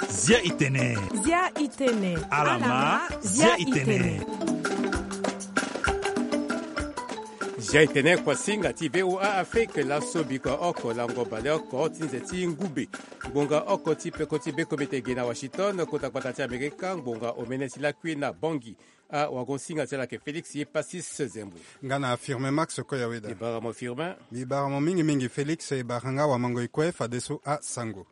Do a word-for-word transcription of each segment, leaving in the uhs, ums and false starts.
Zia itene. Zia itene. Alama, zia itene. Zia itene kuasinga ti V O A Afrique, laso biko oko lango baleoko ti nze ti ngube. Ngbonga oko ti peko ti bekomete ge na Washington, kota gbata ti Amerika, ngbonga omene ti lakui na Bangui. Awagosinga ti ala ayeke Félix Passis Zembo. Nga na Firmin Max Koyaweda. Mbi bara mo Firmin. Mbi bara mo mingi mingi Félix, e bara nga wamango e kue fadeso asango.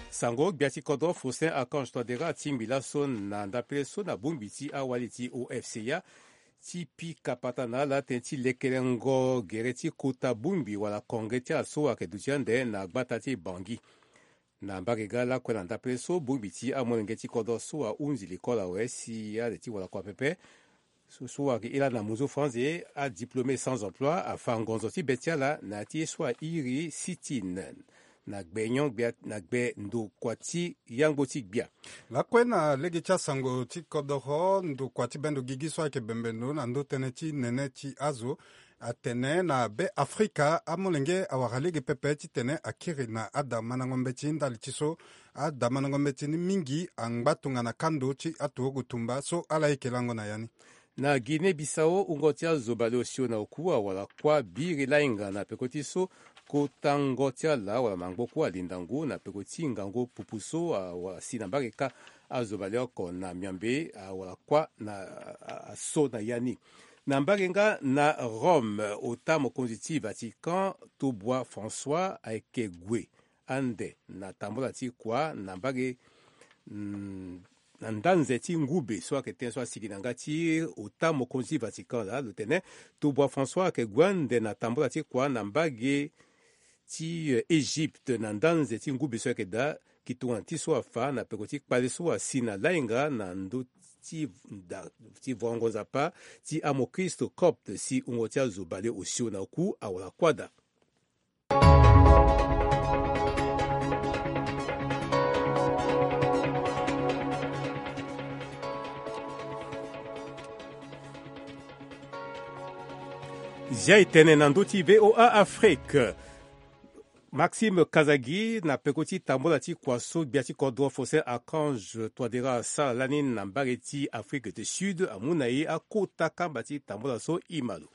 Sango gbia ti kodro Faustin Archange Touadéra atingbi laso na ndapele so na bongbi ti awali ti O F C A ti pika patana ala tënë ti lekelengo gere ti kota bongbi wala konge ti ala so ayeke duti ande na gbata ti Bangui. Na mbage ga lakue na ndapele so bongbi ti amolenge ti kodro so ahunzi likolo awe si ale ti wala kua pepe. So, so ayeke iri ala na muzu franze, adiplômé sans emploi afa ngonzo ti be ti ala na ya ti ye so airi sit-in na gbe nyon gbia na gbe ndokua ti yangbo ti gbia. Lakue na lege ti asango ti kodoro, ndokua ti bendo gigi so ayeke bembe ndo na ndö tënë ti nene ti azo atene na Be Afrika amolenge awara lege pepe titene akiri na adamandango mbeti ndali ti so adamandango mbeti ni mingi angba tongana kando ti aturugu tumba so ala yeke lango na ya ni. Na Guinée Bissau, wungo ti azo baleosio na oku awara kuâ biri lahinga na peko ti so kota ngo ti ala wala mangbo kue alinda ngu na peko ti ngangu pupu so awara si na mbage kâ. Azo baleoko na Miambe awara kuâ na a, a, aso na ya ni. Na mbage nga na Rome, ota mokonzi ti Vatican, Tobua François ayeke gue ande na tambola ti kua na mbage, mm, na nda nze ti ngube so ayeke tënë so asigi na nga ti ota mokonzi ti Vatican laa, lo tene Tobua François ayeke gue ande na tambola ti kua na mbage ti, eh, Egypte na nda nze ti ngube so ayeke daa. Ki tongana ti so afa na peko ti kpale so asi na lahinga na ndö ti da, ti vuango nzapa ti amokristo copte si wungo ti azo baleosio na oku awara kuâ daa. Zia e tene na ndö ti V O A Afrique. Maxime Kazagi na peko ti tambola ti kua so gbia ti kodro Faustin Archange Touadéra asara lani na mbage ti Afrique du Sud amu na e akota kamba ti tambola so. E ma lo.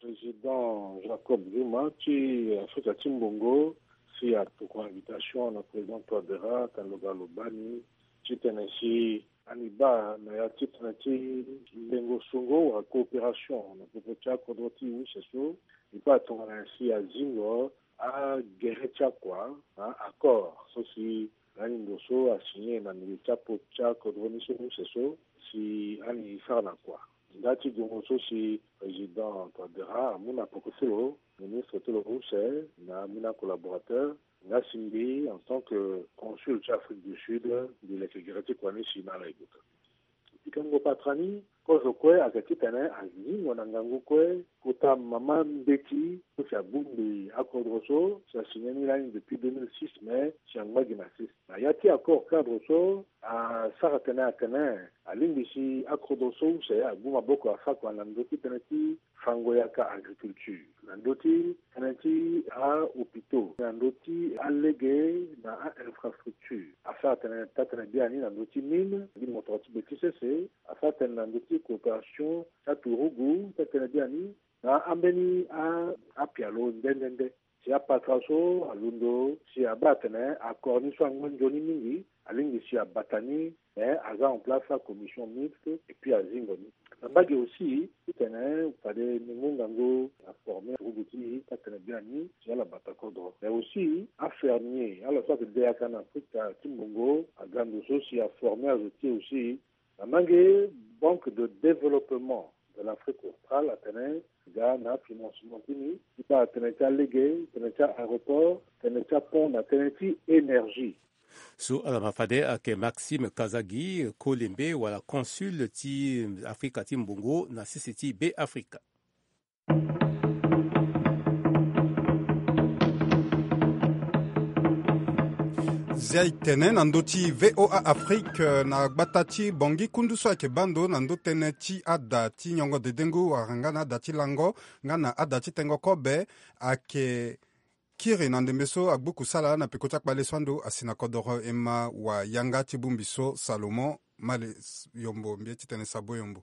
Président Jacob Zuma ti Afrika ti Mbongo si atokua invitation na président Touadéra tene lo ga lo baa ni titene si ani baa na ya titene ti lengo songo wala coopération na popo ti akodro ti use so. E baa tongana nyen si azingo agere ti akua na accord so si lani ndo so asigné na milieu ti apo ti akodro ni so use so si ani sara na kua. Nda ti gongo so si président Touadéra amu na peko ti lo, ministre ti lo use na ambeni acollaborateur, nga si mbi en tant que consul ti Afrique du Sud mbi leke gere ti kua ni si na ala e guta. Pikango patra ni kozo kue ayeke titene azingo na ngangu kue kota mama mbeti so si abongbi akodro so si asigné ni lani depuis deux mille six, mais si angba gi na six. Na ya ti accord cadre so asara tene atene alingbi si akodro so use agu maboko asara kua na ndö ti tënë ti fango yaka agriculture, na ndö ti tënë ti ahôpitaux, na ndö ti alege na ainfrastructure. Asara tene taa-tënë biani na ndö ti mine, mbi motoro ti be ti sese. Asara tene na ndö ti coopération ti aturugu, taa-tënë biani na ambeni a, apialo nde nde nde. Si apatra so alondo si abaa atene accord ni so angba nzoni mingi, alingbi si abata ni, mais aza en place acommission mixte et puis azingo ni. Na mbage aussi titene fade ni mu ngangu aforme aturugu ti e taa-tënë biani si ala bata kodro. Mais aussi afermier ala so ayeke de yaka na Afrika ti Mbongo aga ndo so si aforme azo ti e aussi. Na mange Banque de développement de l'Afrique australe atene ga na financement ti ni ti baa tënë ti alege, tënë ti aéroport, tënë ti apont na tënë ti énergie. So ala ma fade ayeke Maxime Kazagi, kolembe wala consul ti Afrika ti Mbongo na sese ti Be Afrika. Zia e tene na ndö ti VOA Afrique, eh, na gbata ti Bangui, kundu so ayeke baa ndo na ndö tënë ti ada ti nyongo dedengo wala nga na ada ti lango nga na ada ti tengo kobe, ayeke kiri na ndembe so agbu kusala na peko ti akpale so ando asi na kodoro ema wa yanga ti bongbi so Salomon Male Yombo, mbi ye titene Sabo Yombo.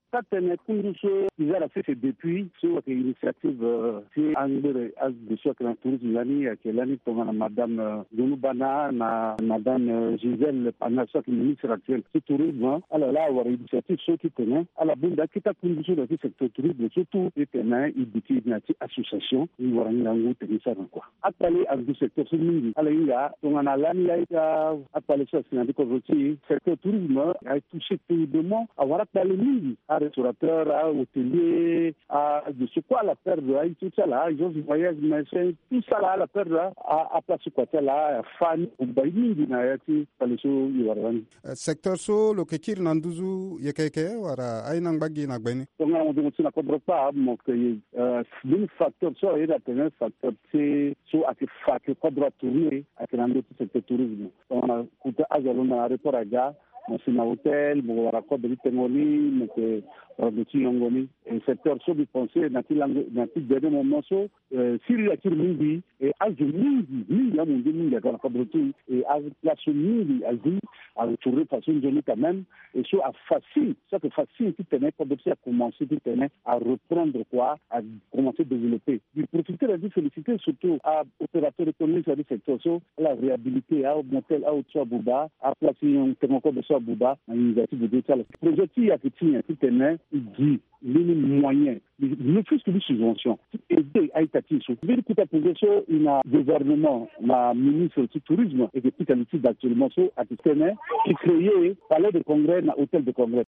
Ka tene kundu so e za na sese depuis so ayeke initiative, euh, ti angbere azo so ayeke na tourisme lani, ayeke lani tongana madame, euh, Gonu Bana na madame, euh, Gisèle Pana so ayeke ministre actuel ti tourisme. Ala laa awara initiative so titene ala bongbi akita kundu so na ti secteur tourisme so tout titene e duti na ti association e wara ngangu tene e sara na kua. Akpale angu secteur so mingi. Ala hinga tongana lani laa ita akpale so asi na ndö kodro ti e, secteur tourisme a touché terriblement. Awara akpale mingi, arestaurateur, ahôtelier, azo so kue ala perdre aye ti ala, agence de voyage, machin, tout ça là, ala perdre a, a, aplace kua ti ala, afani, abai mingi na ya ti kpale so e wara lani. Eh, secteur so lo yeke kiri na nduzu yeke yeke wala aye ni angba gi na gbe ni? Tongana mo zo mo si na kodro kpâ, mo yeke, eh, mbeni facteur so aye na tene facteur ti so ayeke fa ke kodro atourner ayeke na ndö ti secteur tourisme. Tongana kota azo alondo na aéroport aga, mo si na hôtel, mo wara kodro ti tengo ni, mo yeke wara ndo ti yongo ni. E secteur so mbi pensé na ti langue, na ti dernier moment so, eh, siriri akiri mingi, e azo mingi, mingi amundu mingi aga na kodro ti e, aplace so mingi azi atourner façon nzoni quand même. E so afa signe, so ayeke fa signe titene kodro ti e akomanse titene areprendre kua, akomanse développer. Mbi profiter na ti féliciter surtout aopérateur économique so na ti secteur so, ala réhabiliter amotel, aauto so abuba, aplace ti tengo kobe so abuba na initiative ti ala. Projet ti e ayeke ti nyen? Titene e gi mbeni moyen, ne fût-ce que mbeni subvention ti aider a-ita ti e so. Mbeni kota projet so e na gouvernement na ministre ti tourisme e yeke pika li ti da actuellement so ayeke tene e créer palais de congrès na hôtel de congrès.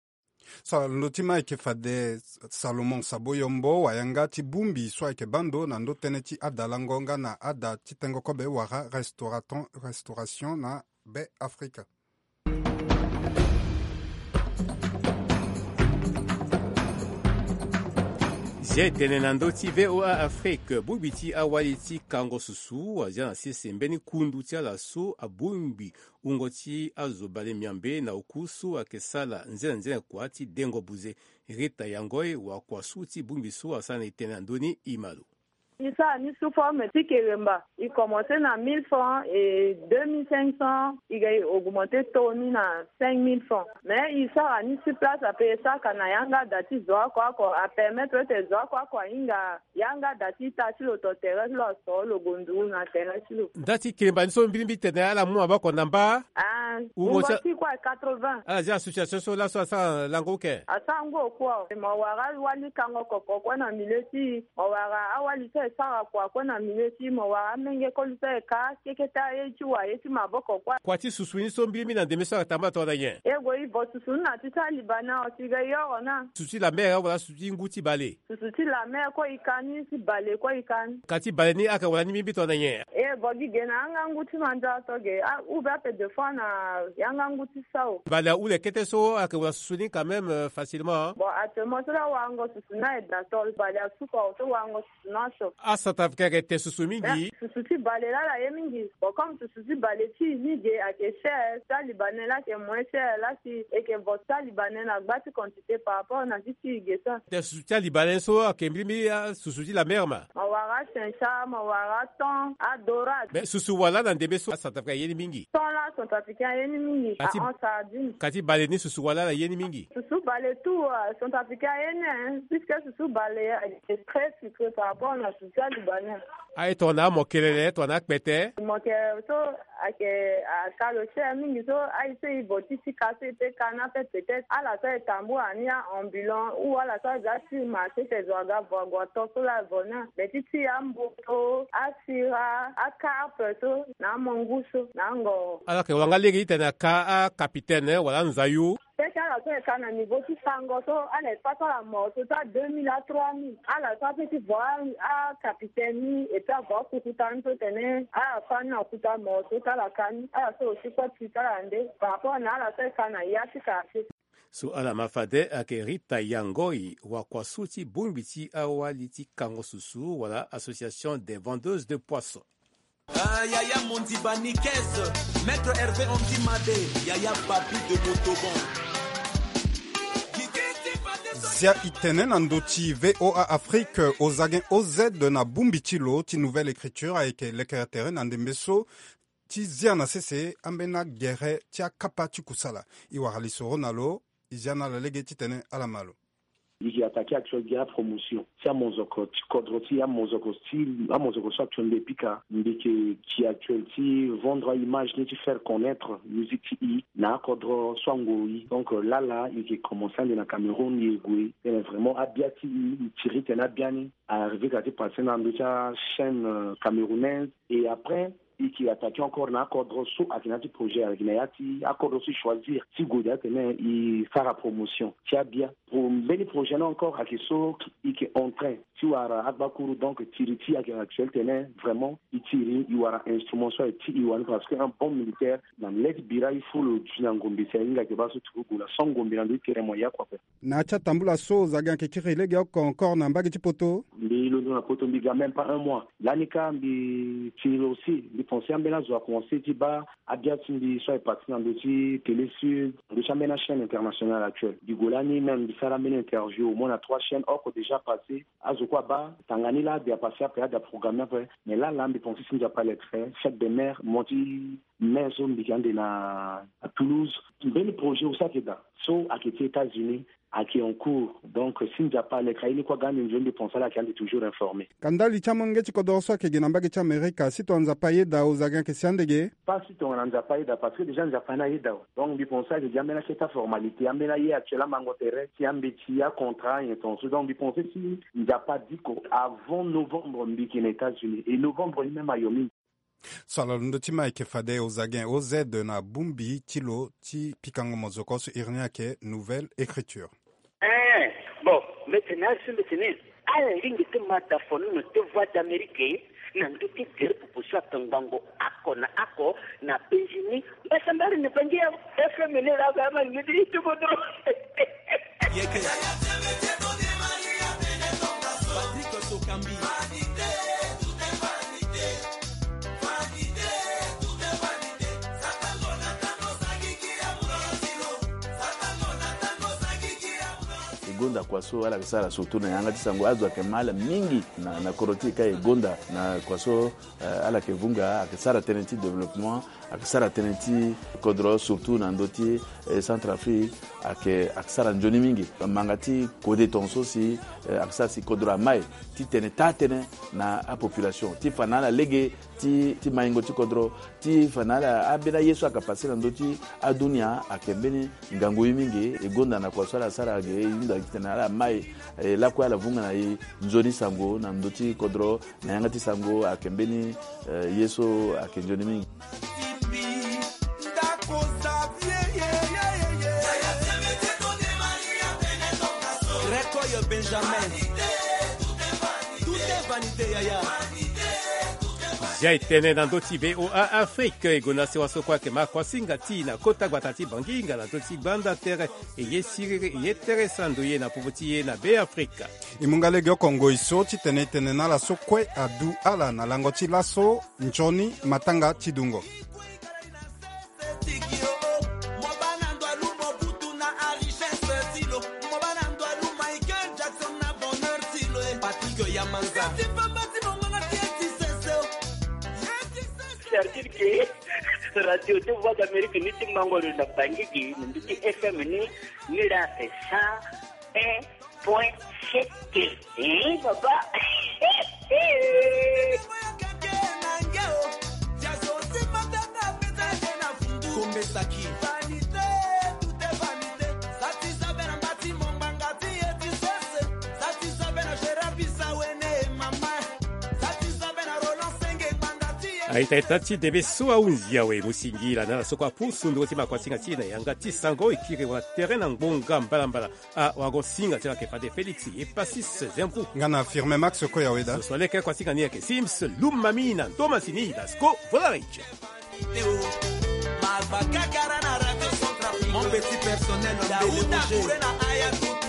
So na londo ti ma ayeke fade Salomon Sabo Yombo, wayanga ti bongbi so ayeke baa ndo na ndö tënë ti ada lango nga na ada ti tengo kobe wala restauraton, restauration na Be Afrika. Zia e tene na ndö ti VOA Afrique, bongbi ti awali ti kango susu azia na sese mbeni kundu ti ala so abongbi wungo ti azo bale miambe na oku so ayeke sala nzenza nzenza kua ti dengo buze. Rita Yangoi wakua so ti bongbi so asara na e tene na ndö ni, e ma lo. E sara ni sous forme ti keremba. E commencé na mille francs et deux mille cinq cents, e ga e augmenté taux ni na cinq mille francs. Mais e sara ni sur place ape, e sara ka na yanga da ti zo oko oko, apermettre ete zo oko oko ahinga yanga da ti ita ti lo to terrain ti lo, aso lo gonduru na terrain ti lo. Nda ti keremba ni so mbirimbiri tene ala mu maboko na mba? Ah, wungo ti kue quatre-vingts. Ala zia association so laso asara lango oke? Asara ngu okua. Mo wara awali kango koko kue na milieu ti e. Mo wara awali so e sara kua kue na milieu ti e. Mo wara amenge koli so e ka keke ti aye ti wa ye ti maboko kue. Kua ti susu ni so mbirimbiri na ndembe so atambula tongana nyen? E gue e vo susu ni na ti ti alibané, si ga e yoro na. Susu ti la mer wala susu ti ngu ti bale? Susu ti la mer kue e ka ni, ti bale kue e ka ni. Ka ti bale ni ayeke wara ni mbirimbiri tongana nyen? E vo gi ge na angangu ti mandat so ge, a ouvert pe deux fois na angangu ti sao. Bale ahule kete so ayeke wara susu ni quand même, euh, facilement, hein? Bon, actuellement so la warango susu ni aye da so, bale asukaro so warango susu ni aso. Acentrafricain ayeke te susu mingi. Eh, susu ti bale la ala ye mingi. Bon, comme susu ti bale ti e ni ge ayeke cher, ti alibané la ayeke moins cher, la si e yeke vo ti alibané na gba ti quantité par rapport na ti ti e ge so. Te susu ti alibané so ayeke mbirimbiri, ah, susu ti la mer ma? Mo wara chincha, mo wara thon, adorade. Mais susu wala na ndembe so acentrafricain aye ni mingi? Thon la centrafricain aye ni mingi. Ka ti, ah, en sardine. Ka ti bale ni susu wala ala ye ni mingi? Susu bale tout, euh, centrafricain aye ni, hein, puisque susu bale, euh, est très sucré par rapport na susu ti alibané. Aye tongana amokelele, tongana akpete? Mokelele so ayeke, aka lo cher mingi so, aye so e vo ti ti ka so e peut ka ni ape peut-être. Ala so e tambula ni a-ambulant ou ala so aza ti marché ti zo aga vo ague ato so la e vo ni. Mais ti ti amboto, asira, acarpe so, na amangu so, na angoro. Ala yeke wara nga lege titene aka acapitaine wala anzayu. Peut-être ala so e ka na niveau ti sango so, ala e fa so ala moro so ti a deux mille à trois mille. Ala so apeut ti vo a, acapitaine ni, et puis avo akukuta ni so tene ala fa ni na kuta moro so ti ala ka ni. Ala so aussi kue ti ti ala nde par rapport na ala so e ka na ya ti quartier. So ala ma fade ayeke Rita Yangoi, wakua so ti bongbi ti awali ti kango susu wala Association des vendeuses de poissons. Ah, Yaya Mondiba Nikes, Maître Hervé Andy Madé, Yaya Babi de Motoban. Zia i tene na ndö ti VOA Afrique, Ozagen O Z na bongbi ti lo ti Nouvelle Écriture ayeke lekere tere na ndembe so ti zia na sese ambeni agere ti akapa ti kusala. I wara lisoro na lo, i zia na ala lege titene ala ma lo. I yeke attaqué actuel gi apromotion ti amozoko ti kodro ti amozoko ti amozoko so actuel mbi yeke pika. Mbi yeke gi actuel ti vendre aimage ni ti faire connaître musique ti i na akodro so angoi. Donc lala i yeke commencé ande na Cameroun, i yeke gue tene vraiment abia ti i, i tiri tene abia ni a arrivé ka ti passé na ndö ti achaîne camerounaise. Et après i yeke attaqué encore na akodro so ayeke na ya ti projet, ayeke na ya ti akodro so i choisir ti gue daa tene i sara promotion ti abia. Pour mbeni projet ni encore ayeke so i yeke en train ti wara agbakuru. Donc tiri ti i ayeke actuel tene vraiment i tiri, i wara instrument so aye ti i wani parce que un bon militaire na le ti bira il faut lo duti na ngombe si ahinga ayeke baa so turu gue na so ngombe na ndö ti tere mo ya kua ape. Na ya ti atambula so Ozagen ayeke kiri lege oko encore na mbage ti poto. Mbi londo na poto, mbi ga même pas un mois. Lani kâ mbi tiri aussi, mbi pensé ambeni azo akomanse ti baa abia ti mbi so aye parti na ndö ti Télé Sud, na ndö ti ambeni achaîne internationale actuelle. Mbi gue lani même mbi sara ambeni interview au moins na trois chaînes oko déjà passé. Azo kue abaa tanga ni laa mbi apassé ape, ada programme ni ape. Mais laa laa mbi pensé si Nzapa alekere, fête des mères, mo ti mai so mbi yeke ande na Toulouse. Mbeni projet aussi ayeke daa so ayeke ti États-Unis ayeke en cours. Donc si Nzapa alekere, aye ni kue aga ande nzoni, mbi pense ala ayeke ande toujours informé. Ka ndali ti amolenge ti kodoro so ayeke ge na mbage ti Amerika, si tongana Nzapa ayeda, Ozagen ayeke si ande ge? Pas si tongana Nzapa ayeda, parce que déjà Nzapa ni ayeda awe. Donc mbi pense ayeke gi ambeni akete aformalité, ambeni aye actuel amango tere ti ambeti, acontra, nyen tongaso. Donc mbi pense si Nzapa adiko, avant novembre mbi yeke na États-Unis. Et novembre ni même ayo mingi. So ala londo ti ma ayeke fade Ozagen O Z na bongbi ti lo ti pikango mozoko so iri ni ayeke Nouvelle Écriture. Eh, bon, mbi tene asi mbi tene ala lingbi ti ma da fonono ti Voix d'Amérique na ndö ti gere popo so atongbango oko na oko na penzi ni. Mbasambari ni bangi ya F M ni la ga ma ni ti tubo dro. Yeke. Patrick Sokambi. E gonda kua so ala yeke sara surtout na yanga ti sango, azo ayeke ma ala mingi na, na kodro ti e kâ. E gonda na kua so, eh, ala yeke vunga, ayeke sara tënë ti développement, ayeke sara tënë ti kodro surtout na ndö ti, eh, Centrafrique, ayeke, ayeke sara nzoni mingi. Manga ti kode tongaso si, eh, ayeke sara si kodro amai ti tene taa tënë na apopulation ti fa na ala lege ti, ti maingo ti kodro, ti fa na ala ambeni aye so ayeke pase na ndö ti adunia ayeke mbeni ngangu ye mingi. E gonda na kua so ala sara ge, e hunda titene ala mai, e lakue ala vunga na e nzoni sango na ndö ti kodro na yanga ti sango ayeke mbeni, eh, ye so ayeke nzoni mingi. Benjamin. Tout est vanité, yaya. Zia e tene na ndö ti VOA Afrique, e gonda sewa so kue ayeke ma kuasinga ti e na kota gbata ti Banginga na ndö ti gbanda tere, e ye siriri, e ye tere sando ye na popo ti e na Be Afrika. E mu nga lege oko ngoi so titene e tene na ala so kue adu ala na lango ti laso, nzoni matanga ti dungo. Certitude que radio ti Voix d'Amérique ni ti mango lo na Bangui gi na ndö ti F M ni, ni la esa un point sept. Eh, papa. Aita ita ti debe so ahunzi awe, mo singila na ala so kue apusu ndongo ti makuasinga ti e na yanga ti sango. E kiri wa tere na ngbonga mbalambala. Awagosinga ti ala yeke fade Félix Epasis Zempu. Nga na Firmin Max Koyaweda. Soso leke kuasinga ni ayeke Sims Lumami na Thomas ni Dasco Volaric. Mon petit personnel, Daouda Kouré na Ayatou.